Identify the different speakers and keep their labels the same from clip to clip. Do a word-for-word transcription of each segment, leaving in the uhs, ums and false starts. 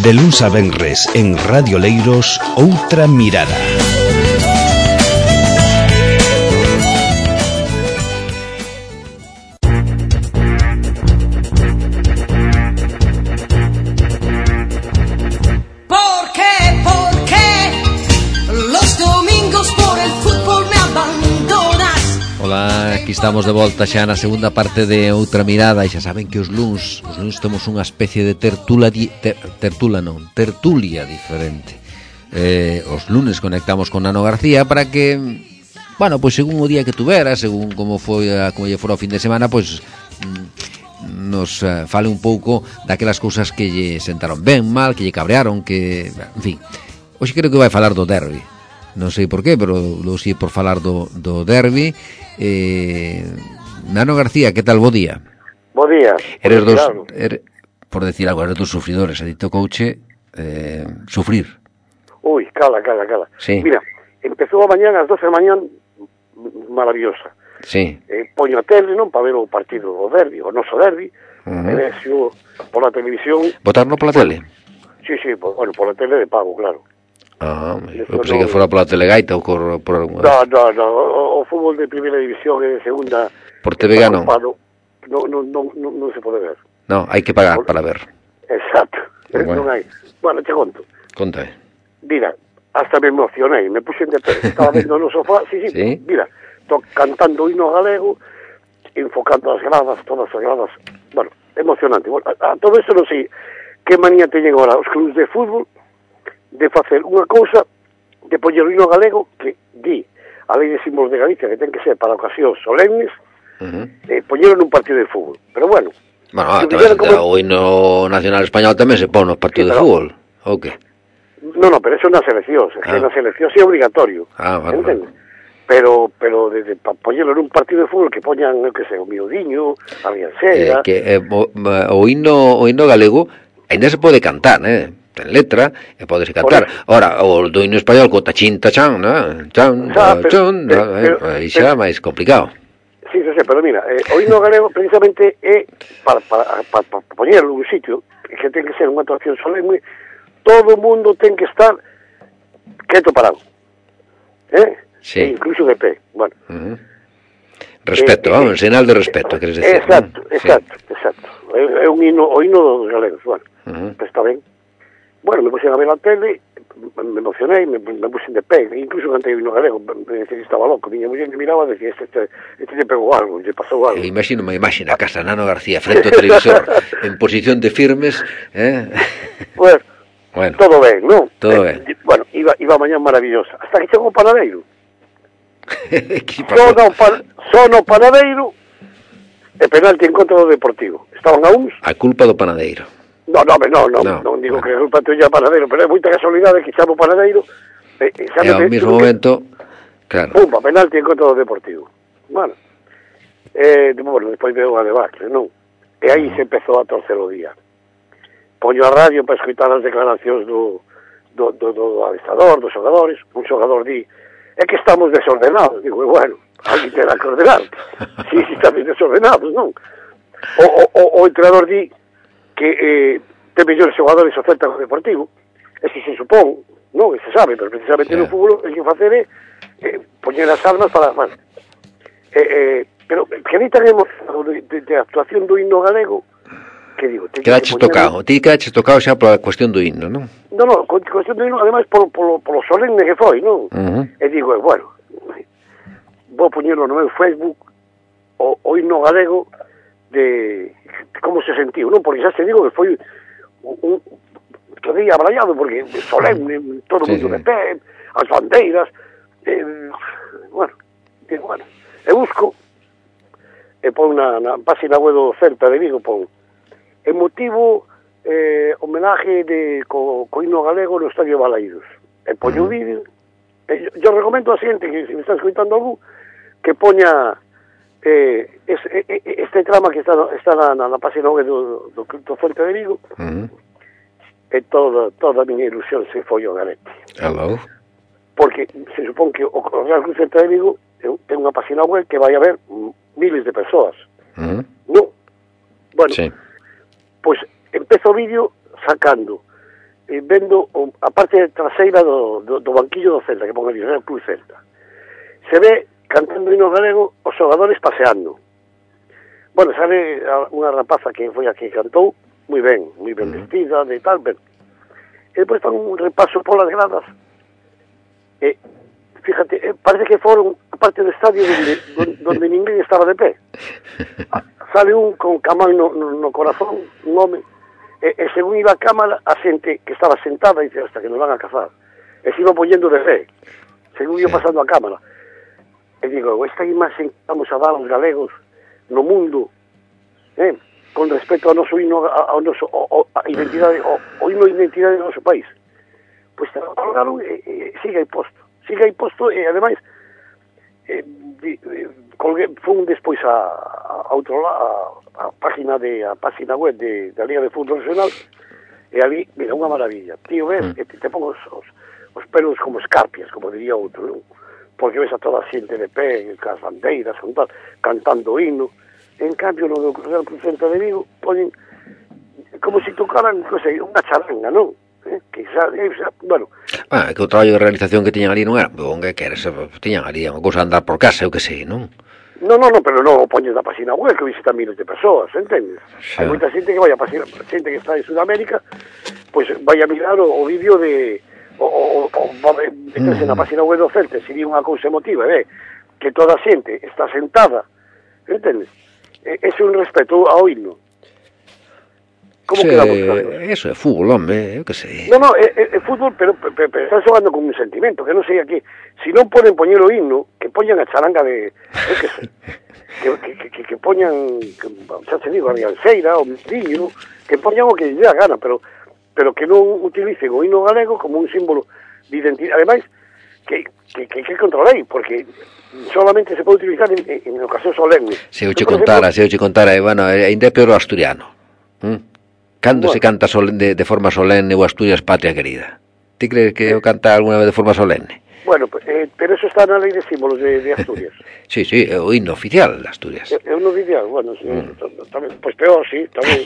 Speaker 1: De luns a venres en Radio Leiros, Outra Mirada.
Speaker 2: Aquí estamos de volta xa na segunda parte de Outra Mirada. E xa saben que os luns Os luns temos unha especie de tertula di, ter, Tertula non, tertulia diferente. eh, Os lunes conectamos con Nano García para que, bueno, pois según o día que tuvera, según como foi a, como lle fora o fin de semana, pois nos uh, fale un pouco daquelas cousas que lle sentaron ben, mal, que lle cabrearon, que, en fin. Hoxe creo que vai falar do derbi. Non sei por qué, pero lo sei por falar do, do derbi. Eh, Nano García, que tal? Bo día.
Speaker 3: Bo día.
Speaker 2: Eres dos, er, por decir algo, eres dos sufridores. A ti tocouche eh, sufrir.
Speaker 3: Uy, cala, cala, cala.
Speaker 2: Sí.
Speaker 3: Mira, empezou a mañán, ás doce da mañán, maravillosa.
Speaker 2: Sí.
Speaker 3: Eh, poño a tele, non, para ver o partido do derbi, o noso derbi, uh-huh. E vexo pola televisión.
Speaker 2: Botarno pola tele?
Speaker 3: Sí, sí, por, bueno, pola tele de pago, claro.
Speaker 2: Ah, eu pensei no, que fora pola telegaita ou por, por alguna...
Speaker 3: No, no, no, o, o fútbol de primeira división e de segunda...
Speaker 2: Por T V G non?
Speaker 3: No, no, no, no, non se pode ver.
Speaker 2: No, hai que pagar por... para ver.
Speaker 3: Exacto,
Speaker 2: bueno.
Speaker 3: Non hai. Bueno, te conto.
Speaker 2: Conta.
Speaker 3: Mira, hasta me emocionei, me puxen de pé, estaba vendo no sofá, sí, sí, ¿Sí? Mira, to, cantando o himno galego, enfocando as gradas, todas as gradas, bueno, emocionante. Bueno, a, a todo eso non sei que manía teñen agora os clubes de fútbol de facer unha cousa, de poñer o himno galego que di a lei de símbolos de Galicia que ten que ser para ocasións solemnes, uh-huh. eh, poñeron nun partido de fútbol. Pero bueno,
Speaker 2: bueno, ah, como... o himno nacional español tamén se pon nos partidos sí, pero... de fútbol, ou que?
Speaker 3: No, no, pero eso é na selección, ah. na selección sí é obligatorio,
Speaker 2: ah, vale,
Speaker 3: entende? Vale. Pero, pero de, de, para poñerlo nun partido de fútbol que poñan, eu que sei, o miudiño, a Riancera...
Speaker 2: Eh, que eh, o, o, himno, o himno galego ainda se pode cantar, eh? Ten letra e podes cantar. Ora, o do himno español co tachín tachán, ¿no? Chan, tachón, aí xa é máis complicado.
Speaker 3: Sí, sí, sí, pero mira, eh, o himno galego precisamente é para, para, para, para poñerlo nun sitio que ten que ser unha actuación solemne, todo o mundo ten que estar quieto parado. Eh?
Speaker 2: Sí.
Speaker 3: E incluso de pé. Bueno.
Speaker 2: Uh-huh. Respeto, eh, vamos, eh, señal de respeto, eh, queres decir.
Speaker 3: Exacto,
Speaker 2: ¿no?
Speaker 3: exacto, sí. exacto. É, é un himno, o himno dos galegos, bueno.
Speaker 2: Uh-huh.
Speaker 3: Pues está ben. Bueno, me puxen a ver a tele, me emocionei, me, me puxen de pé, incluso cantei o himno galego, me decía que estaba loco, miña muller me miraba e decía, este, este, este te pegou algo, lle pasou algo.
Speaker 2: Eu imagino unha imaxe na casa Nano García frente ao televisor, en posición de firmes, eh?
Speaker 3: Pues,
Speaker 2: bueno,
Speaker 3: todo ben, non?
Speaker 2: Todo
Speaker 3: eh,
Speaker 2: ben.
Speaker 3: Bueno, iba, iba a mañán maravillosa, hasta que chegou o panadeiro. Son o, pan, son o panadeiro e penalti en contra do Deportivo. Estaban a uns...
Speaker 2: A culpa do panadeiro.
Speaker 3: No, no, no, no,
Speaker 2: no,
Speaker 3: non digo
Speaker 2: no.
Speaker 3: que é culpa tuya panadeiro, pero é moita casualidade que chamo panadeiro e, e,
Speaker 2: e ao mesmo momento, que... claro.
Speaker 3: Pumba, penalti en contra do Deportivo. Bueno, eh, bueno, despois veo a debacle, non? E aí se empezou a torcer o día. Poño a radio para escutar as declaracións do, do, do, do adestrador, dos xogadores. Un xogador di, é que estamos desordenados. Digo, bueno, alguén terá que ordenar. Si, si estamos desordenados, non? O, o, o, o entrenador di que eh, ten mellores xogadores o Celta co Deportivo, e se se supón, non, se sabe, pero precisamente yeah. no fútbol hai que facer é eh, poñer as armas para, bueno, eh, eh, pero que ni tan emocionado de, de, de actuación do himno galego, que digo...
Speaker 2: Quedaches tocado, ti quedaches tocado xa pola cuestión do himno, non?
Speaker 3: Non, non, cuestión do himno, ademais, polo, polo, polo solemne que foi, non?
Speaker 2: Uh-huh.
Speaker 3: E digo, eh, bueno, vou poñerlo no meu Facebook, o, o himno galego, de como se sentiu, non? Porque xa se digo que foi un, un que día abrallado, porque solemne, todo o sí, mundo sí. de pé, as bandeiras, eh, bueno, e, bueno, e busco, e pon na, na página web do Celta de Vigo, pon emotivo eh, homenaje de co, co himno galego no Estadio Balaídos. E poño o uh-huh. vídeo, e yo, yo recomendo a xente que se me está escoitando algún, que poña Eh, es, eh, este trama que está, está na, na, na página web do, do, do Celta de Vigo uh-huh. e toda, toda a miña ilusión se foi ao garete.
Speaker 2: Hello.
Speaker 3: Porque se supón que o, o Real Cruz Celta de Vigo ten unha página web que vai a ver miles de persoas.
Speaker 2: Uh-huh.
Speaker 3: Non? Bueno,
Speaker 2: sí.
Speaker 3: Pois pues, empezo o vídeo sacando eh, vendo o, a parte traseira do, do, do banquillo do Celta, que pon ali, o Club Celta. Se ve cantando hino galego os xogadores paseando. Bueno, sabe unha rapaza que foi a que cantou, moi ben, moi ben vestida, de tal, ben. E depois fan un repaso polas gradas. E, fíjate, eh, parece que foron a parte do estadio donde, donde, donde ninguén estaba de pé. Sale un con camal no, no, no corazón, un home, e, e según iba a cámara, a xente que estaba sentada, dice, hasta que nos van a cazar. E se iba poñendo de pé, según iba pasando a cámara. E digo, esta imaxe que vamos a dar aos galegos no mundo, eh, con respecto ao noso hino, ao noso, a identidade, o, o hino de identidade do noso país. Pois te lo colgaron e, e siga aí posto. Siga aí posto e, ademais, eh, di, eh, colgué, fun despois a, a, outro, a, a página de a página web de, da Liga de Fútbol Nacional e ali, mira, unha maravilla. Tío, ves, mm. te, te pongo os, os, os pelos como escarpias, como diría outro, non? Porque ves a toda a xente de pé, cas bandeiras, con tal, cantando hino. En cambio, no do Real Club Celta de Vigo, ponen como se si tocaran, non sei, unha charanga, non? Eh, que xa, eh, xa, bueno.
Speaker 2: Ah, que o traballo de realización que tiñan ali non era, bon, que queres, tiñan ali unha cousa de andar por casa, eu que sei, non?
Speaker 3: No, no, no, pero non o poñes na página web que visitan miles de persoas, entendes? Xa. Hai moita xente que vai a página, xente que está en Sudamérica, pois pues vai a mirar o, o vídeo de o, o, o meterse mm. na página web do Celta, se di unha cousa emotiva, ve, que toda a xente está sentada, entendes? Ese é un respeto ao himno. Como
Speaker 2: sí,
Speaker 3: quedamos claros?
Speaker 2: Eso é fútbol, hombre, eu que sei.
Speaker 3: No, no, é, é, é fútbol, pero, pero, pero están xogando con un sentimento, que non sei aquí. Si non poden poñer o himno, que poñan a charanga de... Eu que sei. Que, que, que, que poñan, que, xa se digo, a rianceira, o millo, que poñan o que lle dé a gana, pero, pero que non utilicen o himno galego como un símbolo de identidade. Ademais, que, que, que, que controlei, porque solamente se pode utilizar en, en, en ocasión solemne.
Speaker 2: Se eu che contara, se eu che contara, bueno, ainda é peor o asturiano. ¿Mm? Cando bueno. se canta de, de forma solemne o Asturias Patria Querida? Ti crees que o canta alguna vez de forma solemne?
Speaker 3: Bueno, eh, pero eso está na lei de símbolos de, de Asturias.
Speaker 2: Sí, sí, é o himno oficial de Asturias.
Speaker 3: É, é o himno oficial, bueno, sí, mm. tamén, pois peor, sí, tamén.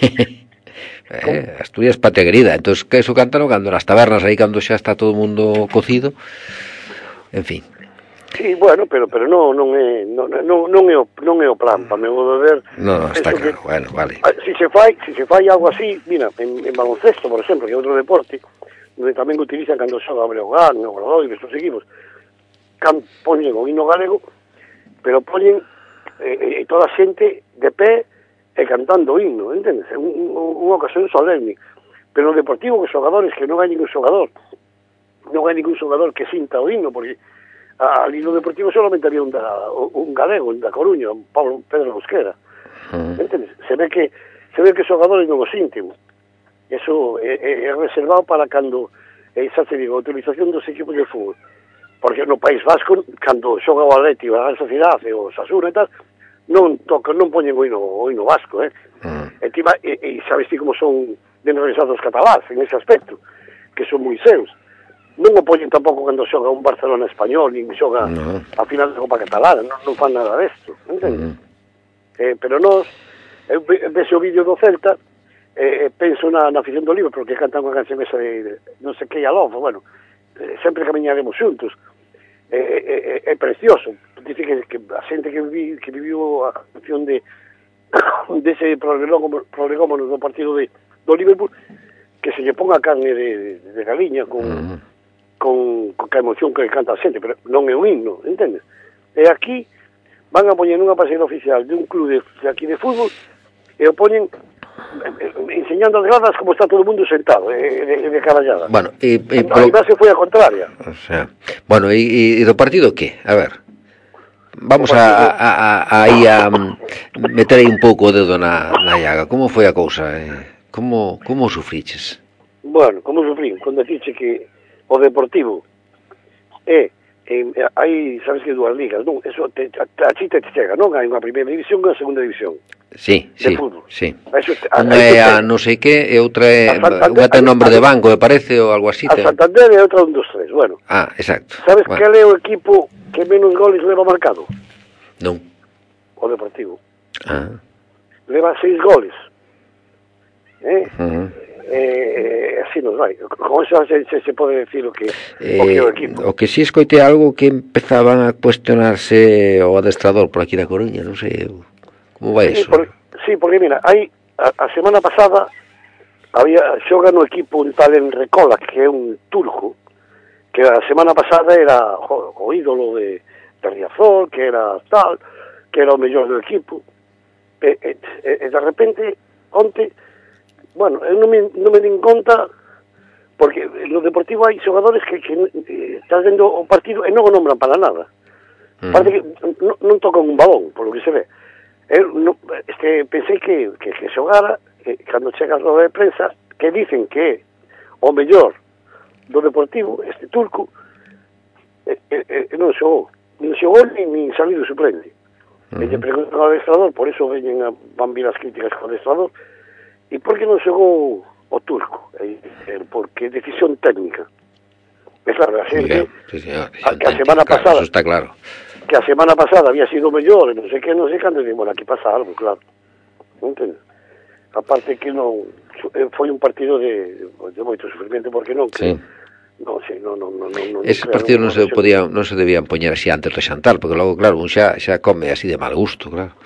Speaker 2: eh, Asturias Patria Querida, entonces que eso cantan cando nas tabernas aí cando xa está todo o mundo cocido. En fin.
Speaker 3: Sí, bueno, pero pero non non é non non non é o non é o plan, para meu modo de ver.
Speaker 2: No, no, está claro,
Speaker 3: que,
Speaker 2: bueno, vale.
Speaker 3: Si se fai, si se fai algo así, mira, en, en baloncesto, por exemplo, que é outro deporte, onde tamén utilizan cando xoga o Breogán, o Obradoiro, estos equipos, can poñen o hino galego, pero poñen eh, eh, toda a xente de pé e cantando o himno, entendes? É un, un, unha ocasión solemne. Pero no deportivo, que xogadores, que non hai ningún xogador, non hai ningún xogador que sinta o himno, porque ali no deportivo solamente había un, da, un galego, un da Coruña, un Pablo Pedro Mosquera. Uh-huh. Entendes? Se ve que se ve que os xogadores non o sinten. Eso é, é, é reservado para cando, é, xa te digo, a utilización dos equipos de fútbol. Porque no País Vasco, cando xoga o Atleti, a Real Sociedade, o Osasuna e tal, non tocan, non poñen o hino, o hino vasco, eh? Uh-huh. E, tima, e, e sabes ti como son de enrevesados catalás en ese aspecto, que son moi seus. Non o poñen tampouco cando xoga un Barcelona español, nin xoga no. a final da Copa Catalana, non, non fan nada desto, entende? Uh-huh. Eh, pero nós, eu vexo o vídeo do Celta, eh, penso na, na afición do Libre, porque cantan unha canción esa de, de non sei que a Love, bueno, eh, sempre camiñaremos xuntos. É eh, eh, eh, precioso, dice que, que a xente que, vi, que viviu a canción de dese prolegómono do partido de, do Liverpool, que se lle ponga carne de, de, de galiña con... Uh-huh. Con, con a emoción que canta a xente, pero non é un himno, entendes? E aquí van a poñer unha página oficial de un club de, de aquí de fútbol e o poñen enseñando as gradas como está todo o mundo sentado, de, de, de carallada.
Speaker 2: Bueno, e, e
Speaker 3: a base foi a contraria.
Speaker 2: O sea, bueno, e, e do partido que? A ver, vamos a, a, a, aí a meter aí un pouco o dedo na, na llaga. Como foi a cousa? Eh? Como, como sufriches?
Speaker 3: Bueno, como sufrí? Cando dixe que o Deportivo é, eh, hai, sabes que dúas ligas, non? Eso te, a, a chita te chega, non? Hai unha primeira división e unha segunda división.
Speaker 2: Sí,
Speaker 3: de
Speaker 2: sí,
Speaker 3: fútbol.
Speaker 2: sí.
Speaker 3: Eso, a,
Speaker 2: unha é a non sei que e outra é unha ten nombre de banco, me parece, ou algo así.
Speaker 3: A Santander e outra un, dos, tres, bueno.
Speaker 2: Ah, exacto.
Speaker 3: Sabes
Speaker 2: bueno.
Speaker 3: que é o equipo que menos goles leva marcado?
Speaker 2: Non.
Speaker 3: O Deportivo.
Speaker 2: Ah.
Speaker 3: Leva seis goles. Eh?
Speaker 2: Uh-huh.
Speaker 3: Eh, así nos vai. Con eso se, se, se pode decir o que,
Speaker 2: eh,
Speaker 3: o que o equipo.
Speaker 2: O que si escoite algo que empezaban a cuestionarse o adestrador por aquí na Coruña, non sei, como vai
Speaker 3: sí,
Speaker 2: eso?
Speaker 3: Por, sí, porque mira, hai a, a semana pasada había xoga no equipo un tal Enrecola, que é un turco, que a semana pasada era jo, o ídolo de, de Riazor, que era tal, que era o mellor do equipo. E, e, e de repente, onte, bueno, eu non me, non me din conta, porque no Deportivo hai xogadores que, que eh, estás vendo o partido e non o nombran para nada. Mm. Parece que non, non tocan un balón, por lo que se ve. Eu no, este, pensei que, que, que xogara, que cando chega a roda de prensa, que dicen que é o mellor do Deportivo, este turco, e, e, e non xogou. Non xogou nin, nin salido suplente. Uh-huh. E lle preguntan ao adestrador, por eso veñen a, van vir as críticas ao adestrador, e por que non xogou o turco? E, e, porque decisión técnica. É claro, a xente,
Speaker 2: sí, señor,
Speaker 3: a, que a semana
Speaker 2: claro,
Speaker 3: pasada,
Speaker 2: eso está claro,
Speaker 3: que a semana pasada había sido mellor, e non sei que, non sei cando, e bueno, aquí pasa algo, claro. Non entendo? Aparte que non, foi un partido de, de moito sufrimiento, porque non, que,
Speaker 2: sí.
Speaker 3: Non, sí, non, non, non, non,
Speaker 2: ese partido non se podía, non se debían poñer así antes de xantar, porque logo, claro, un xa, xa come así de mal gusto, claro.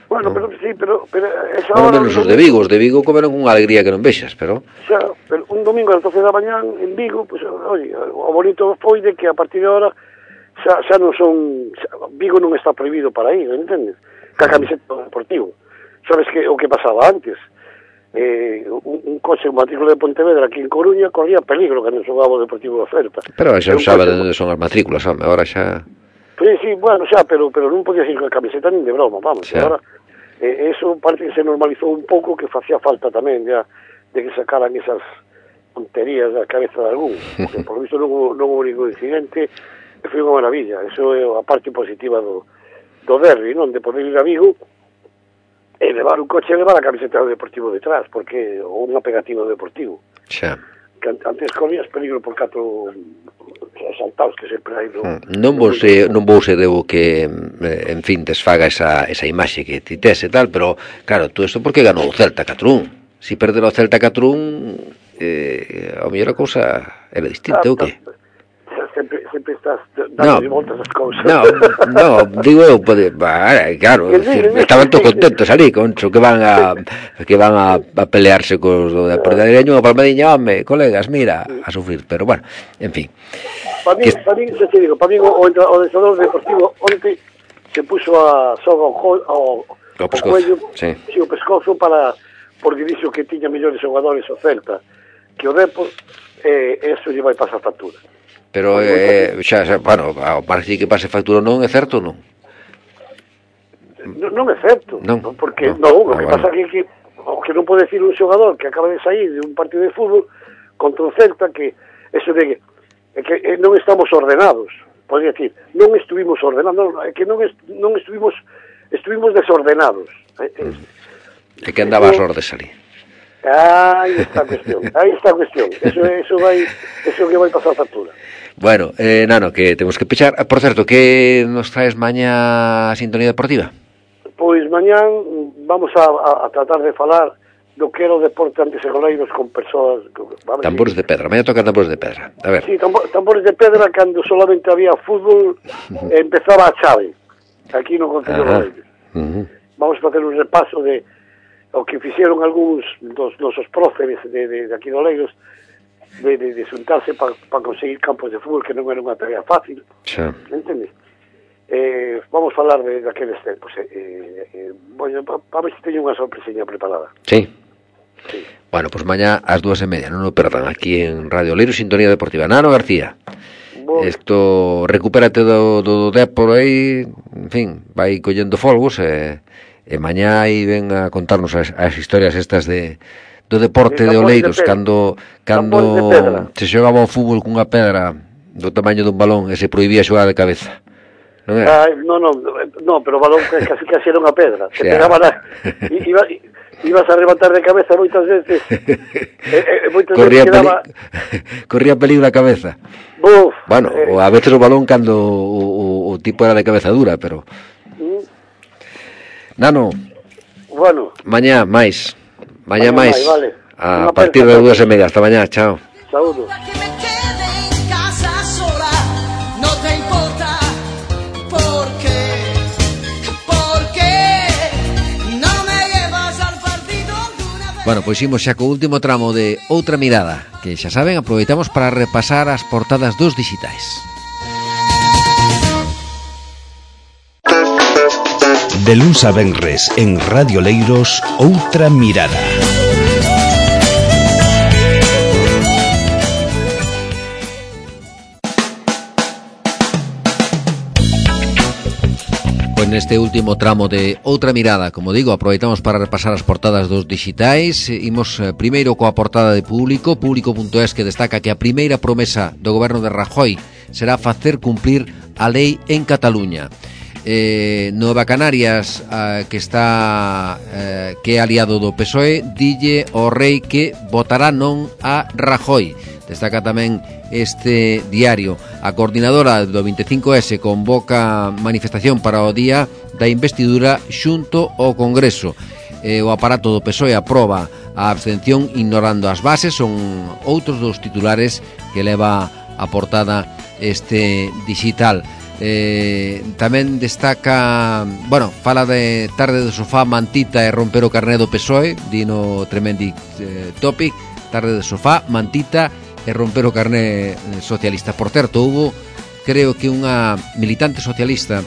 Speaker 3: Bueno, no. pero sí, pero, pero esa
Speaker 2: bueno,
Speaker 3: hora...
Speaker 2: menos os de Vigo, os de Vigo comeron unha alegría que non vexas, pero...
Speaker 3: Xa, pero un domingo a las doce da mañán en Vigo, pues, oye, o bonito foi de que a partir de ahora xa, xa non son... Xa, Vigo non está prohibido para ir, entendes? Ca camiseta deportivo. Sabes que o que pasaba antes? Eh, un, un coche, un matrícula de Pontevedra aquí en Coruña corría peligro que non xogaba o Deportivo de Oferta.
Speaker 2: Pero xa non sabe onde son as matrículas, home, agora xa...
Speaker 3: Sí, sí, bueno, xa, pero pero non podía ir con a camiseta nin de broma, vamos, xa. Agora eh, eso parece que se normalizou un pouco, que facía falta tamén ya, de que sacaran esas tonterías da cabeza de algún, porque por lo visto non, non houve ningún incidente, e foi unha maravilla. Eso é a parte positiva do, do derbi, non? De poder ir a Vigo e levar un coche e levar a camiseta do Deportivo detrás, porque ou unha pegativa do Deportivo.
Speaker 2: Xa.
Speaker 3: Que antes corrías peligro por catro asaltados que sempre hai do...
Speaker 2: Non vos se, non vos se debo que, en fin, desfaga esa, esa imaxe que ti tes e tal, pero, claro, tú isto porque ganou o Celta catro un. Si perde o Celta catro un, eh, a mellor a cousa era distinta, ah, ou que?
Speaker 3: Sempre, sempre estás dando no, voltas as cousas.
Speaker 2: No, no, digo eu, pode, claro, decir, estaban todos contentos ali, concho, que van a que van a, a pelearse cos do Deportivo, Palmadiña, home, colegas, mira, a sufrir, pero bueno, en fin.
Speaker 3: Para mí,
Speaker 2: que...
Speaker 3: para mí, xa te digo, para mí o, o adestrador deportivo onte se puxo a soga ao, ao, ao cuello,
Speaker 2: sí.
Speaker 3: Sí, o pescozo para, porque dixo que tiña mellores xogadores o Celta que o Depor, e eh, eso lle vai pasar factura.
Speaker 2: Pero, eh, xa, xa, bueno, parece que pase factura non, é certo ou non?
Speaker 3: Non, non é certo,
Speaker 2: non,
Speaker 3: porque,
Speaker 2: non,
Speaker 3: non o
Speaker 2: ah,
Speaker 3: que
Speaker 2: bueno.
Speaker 3: pasa que, que o que non pode decir un xogador que acaba de sair de un partido de fútbol contra o Celta, que eso de que, que eh, non estamos ordenados, podría decir, non estuvimos ordenados, non, é que non, est, non estuvimos estuvimos desordenados. É,
Speaker 2: é que andaba as ordes ali.
Speaker 3: Aí está a cuestión, aí está a cuestión. Eso, eso vai, eso que vai pasar factura.
Speaker 2: Bueno, eh, Nano, que temos que pechar. Por certo, que nos traes mañá a Sintonía Deportiva?
Speaker 3: Pois mañán vamos a, a, a tratar de falar do que era o deporte antes e goleiros con persoas... Vamos,
Speaker 2: tambores
Speaker 3: sí.
Speaker 2: de pedra, mañá tocan tambores de pedra. A ver.
Speaker 3: Sí, tambor, tambores de pedra cando solamente había fútbol uh-huh. empezaba a chave, aquí no Concello de Goleiros. Uh-huh. Vamos a facer un repaso de o que fixeron algúns dos nosos próceres de, de, de aquí de Oleiros, de, de, de xuntarse para pa conseguir campos de fútbol, que non era unha tarea fácil.
Speaker 2: Xa.
Speaker 3: Entendes? Eh, vamos falar de daqueles tempos. Eh, eh, bueno, para pa ver se teño unha sorpresiña preparada.
Speaker 2: Sí.
Speaker 3: Sí.
Speaker 2: Bueno, pues mañá ás dúas e media, non o perdan, aquí en Radio Oleiros, Sintonía Deportiva. Nano García, bueno. Esto, recupérate do, do Depor aí, en fin, vai collendo folgos e... E mañá aí ven a contarnos as, as historias estas de do deporte de, de Oleiros, de cando cando se xogaba o fútbol cunha pedra do tamaño dun balón e se prohibía xogar de cabeza. Non é?
Speaker 3: Ah, no, no, no, pero o balón casi casi era unha pedra. Se pegaba na, iba, ibas a levantar de cabeza moitas veces. e, e, moitas
Speaker 2: corría
Speaker 3: veces quedaba...
Speaker 2: peli... corría peligro a cabeza.
Speaker 3: Buf,
Speaker 2: bueno,
Speaker 3: eh...
Speaker 2: a veces o balón cando o, o, o tipo era de cabeza dura, pero Nano,
Speaker 3: bueno,
Speaker 2: mañá máis, mañá máis,
Speaker 3: vale.
Speaker 2: A partir de dúas e media. Hasta mañá, chao.
Speaker 3: Saúdos.
Speaker 2: Bueno, pois imos xa co último tramo de Outra Mirada, que xa saben, aproveitamos para repasar as portadas dos dixitais.
Speaker 1: De luns a venres en Radio Leiros, Outra Mirada.
Speaker 2: Pois neste último tramo de Outra Mirada, como digo, aproveitamos para repasar as portadas dos dixitais. Imos eh, primeiro coa portada de Público, público punto es, que destaca que a primeira promesa do goberno de Rajoy será facer cumplir a lei en Cataluña. Eh, Nueva Canarias, eh, que está eh, que é aliado do P S O E, dille ao rei que votará non a Rajoy. Destaca tamén este diario. A coordinadora do vinte e cinco ese convoca manifestación para o día da investidura xunto ao Congreso. Eh, o aparato do P S O E aproba a abstención ignorando as bases. Son outros dos titulares que leva a portada este digital. Eh, tamén destaca, bueno, fala de tarde do sofá, mantita e romper o carné do P S O E, dino Tremendic eh, Topic, tarde do sofá, mantita e romper o carné socialista. Por certo, hubo, creo que unha militante socialista,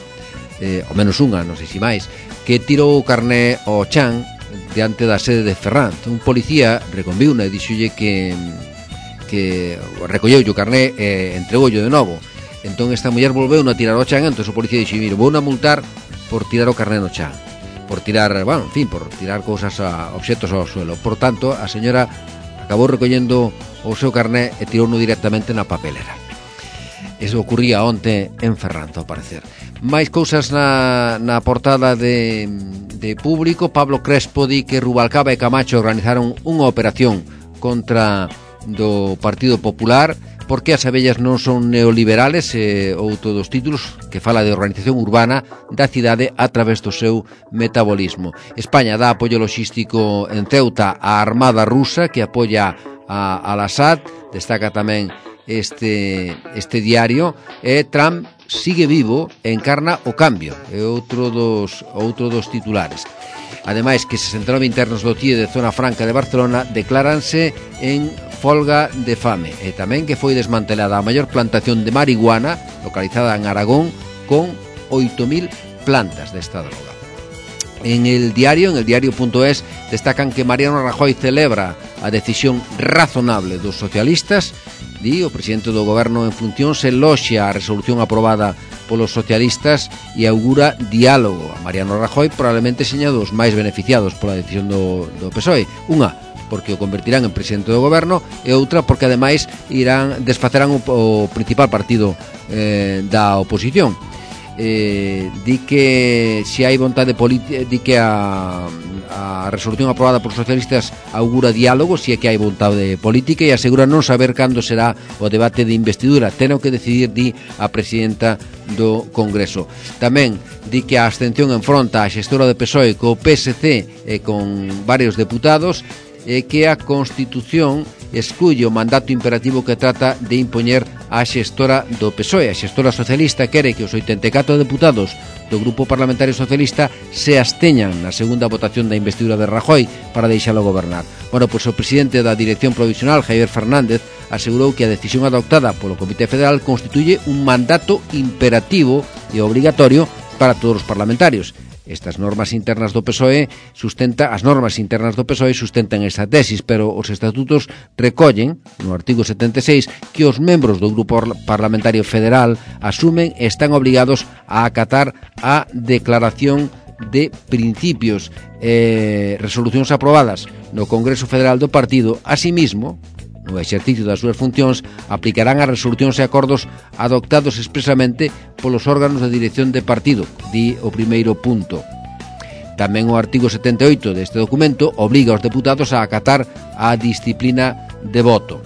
Speaker 2: eh, ao menos unha, non sei se máis, que tirou o carné ao chan diante da sede de Ferrand. Un policía reconviuna e dixolle que que recolleu o carné e entregoulle de novo. Entón esta muller volveu a tirar ao chan, entón o policía dixo, mire, vou a multar por tirar o carné no chan, por tirar, bueno, en fin, por tirar cousas, a, obxetos ao suelo. Por tanto, a señora acabou recollendo o seu carné e tirouno directamente na papelera. Eso ocurría onte en Ferrand, ao parecer. Mais cousas na, na portada de, de Público. Pablo Crespo di que Rubalcaba e Camacho organizaron unha operación contra do Partido Popular. Por que as abellas non son neoliberales? Eh, outro dos títulos que fala de organización urbana da cidade a través do seu metabolismo. España dá apoio logístico en Ceuta á Armada Rusa, que apoia a Al-Assad. Destaca tamén este, este diario. E Trump sigue vivo e encarna o cambio. É outro dos, outro dos titulares. Ademais, que sesenta e nove internos do C I E de Zona Franca de Barcelona decláranse en folga de fame. E tamén que foi desmantelada a maior plantación de marihuana localizada en Aragón, con oito mil plantas desta droga. En el diario, en el diario punto es, destacan que Mariano Rajoy celebra a decisión razonable dos socialistas. Di, o presidente do goberno en funcións eloxia a resolución aprobada polos socialistas e augura diálogo. A Mariano Rajoy probablemente seña dos máis beneficiados pola decisión do, do P S O E. Unha, porque o convertirán en presidente do goberno, e outra porque ademais irán desfacerán o, o principal partido eh, da oposición. Eh, di que se hai vontade política, di que a, a resolución aprobada por socialistas augura diálogo, se é que hai vontade política, e asegura non saber cando será o debate de investidura. Teno que decidir, di a presidenta do Congreso. Tamén di que a abstención enfronta a xestora de P S O E co P S C e con varios deputados, e que a Constitución excluye o mandato imperativo que trata de impoñer a xestora do P S O E. A xestora socialista quere que os oitenta e catro deputados do Grupo Parlamentario Socialista se absteñan na segunda votación da investidura de Rajoy para deixalo gobernar. Bueno, pois o presidente da Dirección Provisional, Javier Fernández, asegurou que a decisión adoptada polo Comité Federal constituye un mandato imperativo e obrigatorio para todos os parlamentarios. Estas normas internas do P S O E sustenta, as normas internas do P S O E sustentan esta tesis, pero os estatutos recollen, no artigo setenta e seis, que os membros do Grupo Parlamentario Federal asumen e están obrigados a acatar a declaración de principios e eh, resolucións aprobadas no Congreso Federal do Partido. Asimismo, no exercicio das súas funcións, aplicarán as resolucións e acordos adoptados expresamente polos órganos de dirección de partido, di o primeiro punto. Tamén o artigo setenta e oito deste documento obriga aos deputados a acatar a disciplina de voto.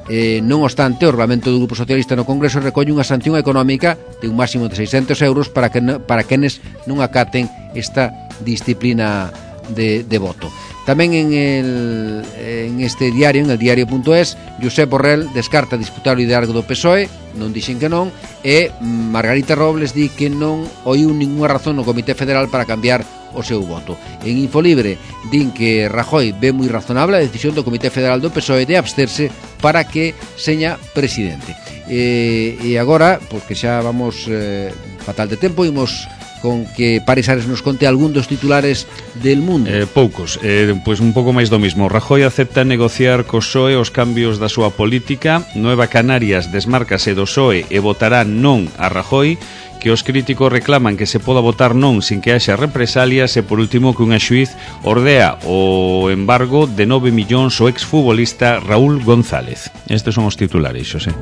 Speaker 2: Eh, non obstante, o Regulamento do Grupo Socialista no Congreso recolle unha sanción económica de un máximo de seiscentos euros para, que, para quenes non acaten esta disciplina de, de voto. Tamén en, el, en este diario, en el diario punto es, Josep Borrell descarta disputar o liderazgo do P S O E, non dixen que non, e Margarita Robles di que non oiu ninguna razón no Comité Federal para cambiar o seu voto. En Infolibre din que Rajoy ve moi razonable a decisión do Comité Federal do P S O E de absterse para que seña presidente. E, e agora, porque xa vamos eh, fatal de tempo, imos con que Paris Ares nos conte algún dos titulares del mundo.
Speaker 4: Eh, poucos, eh, pois un pouco máis do mismo. Rajoy acepta negociar co P S O E os cambios da súa política. Nueva Canarias desmárcase do P S O E e votará non a Rajoy, que os críticos reclaman que se poda votar non sin que haxa represalias, e por último que unha xuiz ordea o embargo de nove millóns ao exfutbolista Raúl González. Estes son os titulares, Xosé.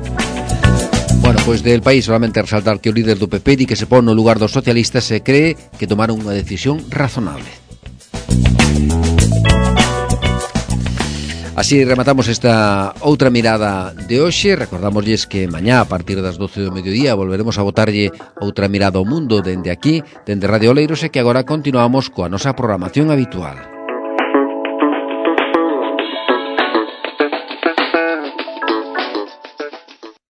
Speaker 2: Bueno, pois del País solamente resaltar que o líder do P P di que se pon no lugar dos socialistas e cree que tomaron unha decisión razonable. Así rematamos esta outra mirada de hoxe. Recordamosles que mañá a partir das doce do mediodía volveremos a botarlle outra mirada ao mundo dende aquí, dende Radio Oleiros, e que agora continuamos coa nosa programación habitual.